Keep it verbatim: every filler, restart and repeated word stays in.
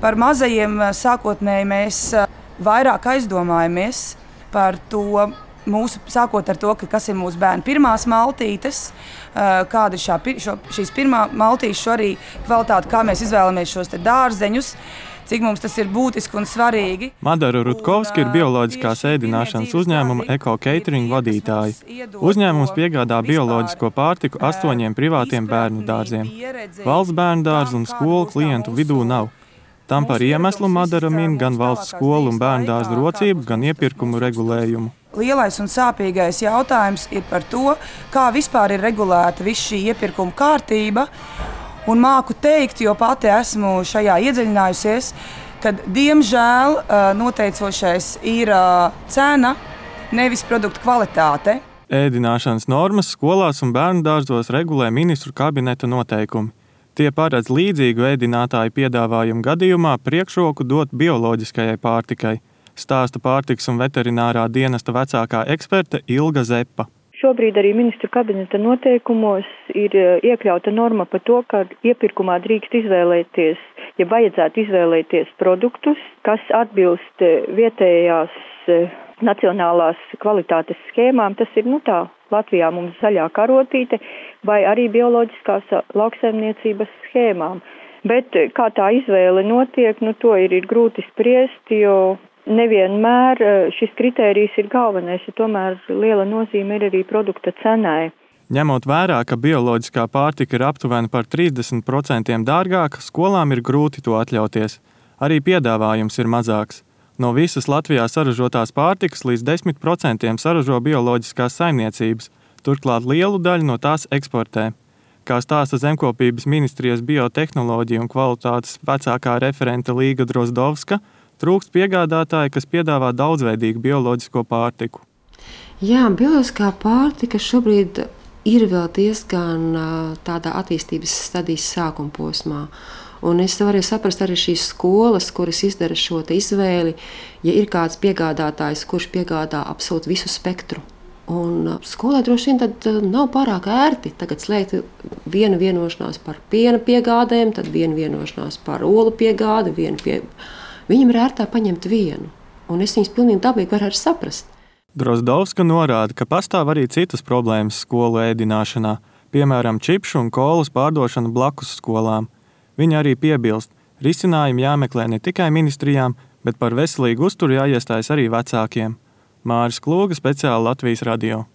Par mazajiem sākotnēji mēs vairāk aizdomājamies par to, mūsu, sākot ar to, ka, kas ir mūsu bērnu pirmās maltītes, kāda ir šā, šo, šīs pirmā maltīšu arī kvalitāte, kā mēs izvēlamies šos te dārzeņus, cik mums tas ir būtiski un svarīgi. Madara Rutkovska ir bioloģiskās ēdināšanas uzņēmuma Eko Catering vadītāja. Uzņēmums piegādā bioloģisko pārtiku astoņiem privātiem bērnu dārziem. Valsts bērnu dārzu un skolu klientu vidū nav. Tam par iemeslu Madara min gan valsts skolu un bērnu dārzu rocību, gan iepirkumu regulējumu. Lielais un sāpīgais jautājums ir par to, kā vispār ir regulēta viss šī iepirkuma kārtība. Un māku teikt, jo pati esmu šajā iedziļinājusies, ka, diemžēl, noteicošais ir cena, nevis produktu kvalitāte. Ēdināšanas normas skolās un bērnu dārzos regulē ministru kabineta noteikumi. Tie paredz līdzīgu ēdinātāju piedāvājumu gadījumā priekšroku dot bioloģiskajai pārtikai, stāsta pārtikas un veterinārā dienesta vecākā eksperte Ilga Zepa. Šobrīd arī ministru kabineta noteikumos ir iekļauta norma par to, ka iepirkumā drīkst izvēlēties, ja vajadzētu izvēlēties produktus, kas atbilst vietējās nacionālās kvalitātes schēmām. Tas ir, nu tā, Latvijā mums zaļā karotīte vai arī bioloģiskās lauksaimniecības schēmām. Bet kā tā izvēle notiek, nu to ir, ir grūti spriest, jo nevienmēr šis kritērijs ir galvenais, jo tomēr liela nozīme ir arī produkta cenai. Ņemot vērā, ka bioloģiskā pārtika ir aptuveni par trīsdesmit procentiem dārgāka, skolām ir grūti to atļauties. Arī piedāvājums ir mazāks. No visas Latvijā saražotās pārtikas līdz desmit procentiem saražo bioloģiskās saimniecības, turklāt lielu daļu no tās eksportē. Kā stāsta Zemkopības ministrijas biotehnoloģija un kvalitātes vecākā referente Līga Drozdovska, trūkst piegādātāji, kas piedāvā daudzveidīgu bioloģisko pārtiku. Jā, bioloģiskā pārtika šobrīd ir vēl diezgan tādā attīstības stadijas sākuma posmā. Un es varu saprast arī šīs skolas, kuras izdara šo izvēli, ja ir kāds piegādātājs, kurš piegādā absolūti visu spektru. Un skolai droši vien tad nav pārāk ērti tagad slēgt vienu vienošanās par piena piegādēm, tad vienu vienošanās par olu piegādi, vienu pie... Viņam ir ērtāk paņemt vienu, un es viņus pilnīgi dabīgi varu arī saprast. Drozdovska norāda, ka pastāv arī citas problēmas skolu ēdināšanā, piemēram, čipšu un kolas pārdošana blakus skolām. Viņa arī piebilst, risinājumi jāmeklē ne tikai ministrijām, bet par veselīgu uzturu jāiestājas arī vecākiem. Māris Klūga, speciāli Latvijas radio.